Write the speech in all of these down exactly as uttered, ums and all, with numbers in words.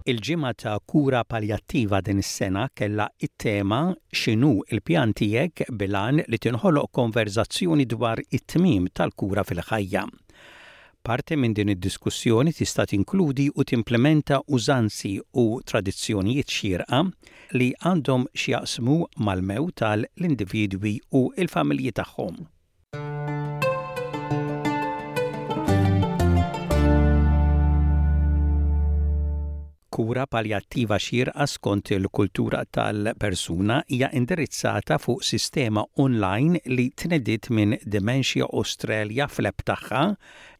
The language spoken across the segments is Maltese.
Il-ġimgħa ta' kura paljattiva din is-sena kellha it-tema "X'inhu il-pjan tiegħek?" bil-għan li tinħoloq konverzazzjoni dwar it-tmiem tal-kura fil-ħajja. Parti minn din id-diskussjoni tista' tinkludi u timplementa użanzi u tradizzjonijiet xierqa li għandhom x'jaqsmu mal-mewt tal-individwi u l-familji tagħhom. Kura paljattiva xierqa skont il-kultura tal-persuna hija indirizzata fuq sistema online li tnediet minn Dementia Australia fl-app tagħha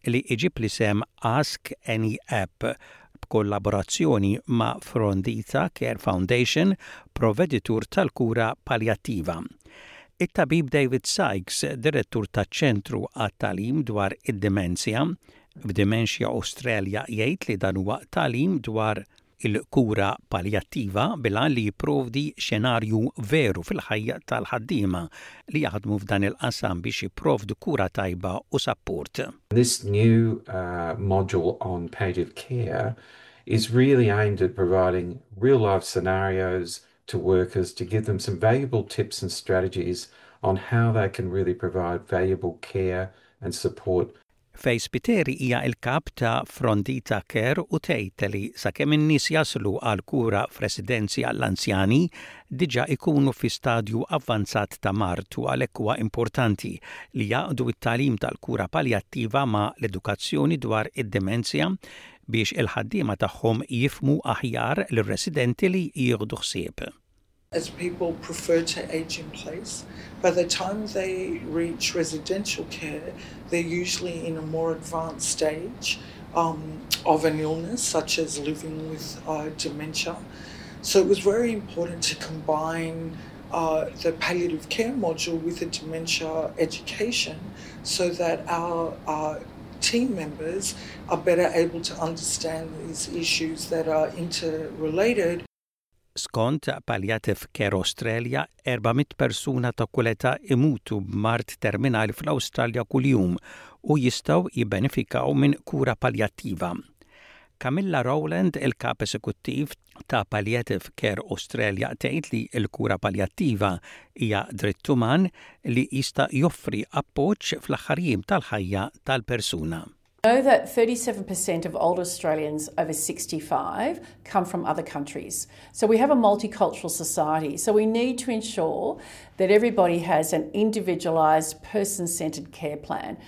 li iġib l-isem Ask Any App b'kollaborazzjoni ma' Frondita Care Foundation, provveditur tal-kura paljattiva. It-tabib David Sykes, direttur taċ-ċentru għat-tagħlim dwar id-demenzja f'Dementia Australia, jgħid li dan huwa tagħlim dwar il-kura paljattiva bil-għan li jipprovdi xenarju veru fil-ħajja tal-ħaddiema li jaħdmu f'dan il-qasam biex jipprovdu kura tajba u sapport. This new uh, module on palliative care is really aimed at providing real life scenarios to workers to give them some valuable tips and strategies on how they can really provide valuable care and support. Faye Spiteri hija il-kap ta' Frondita Care u tgħid li sakemm in-nies jaslu għal kura f'residenzi għall-anzjani diġà ikunu fi stadju avvanzat ta' mard u għalhekk huwa importanti li jgħaqqdu t-tagħlim tal-kura paljattiva ma' l-edukazzjoni dwar id-demenzja biex il-ħaddiema tagħhom jifhmu aħjar lir-residenti li jieħdu ħsieb. As people prefer to age in place, by the time they reach residential care, they're usually in a more advanced stage um, of an illness, such as living with uh, dementia. So it was very important to combine uh, the palliative care module with the dementia education so that our uh, team members are better able to understand these issues that are interrelated. Skont Palliative Care Australia, erba' mitt persuna ta' kull età imutu b'mard terminali fl-Awstralja kuljum u jistgħu jibbenefikaw minn kura paljattiva. Camilla Rowland, il-kap esekuttiv ta' Palliative Care Australia, tgħid li l-kura paljattiva hija dritt uman li jista' joffri appoġġ fl-aħħar jiem tal-ħajja tal-persuna. Know that thirty-seven percent of older Australians over sixty-five come from other countries. So we have a multicultural society. So we need to ensure that everybody has an individualised, person centred care plan.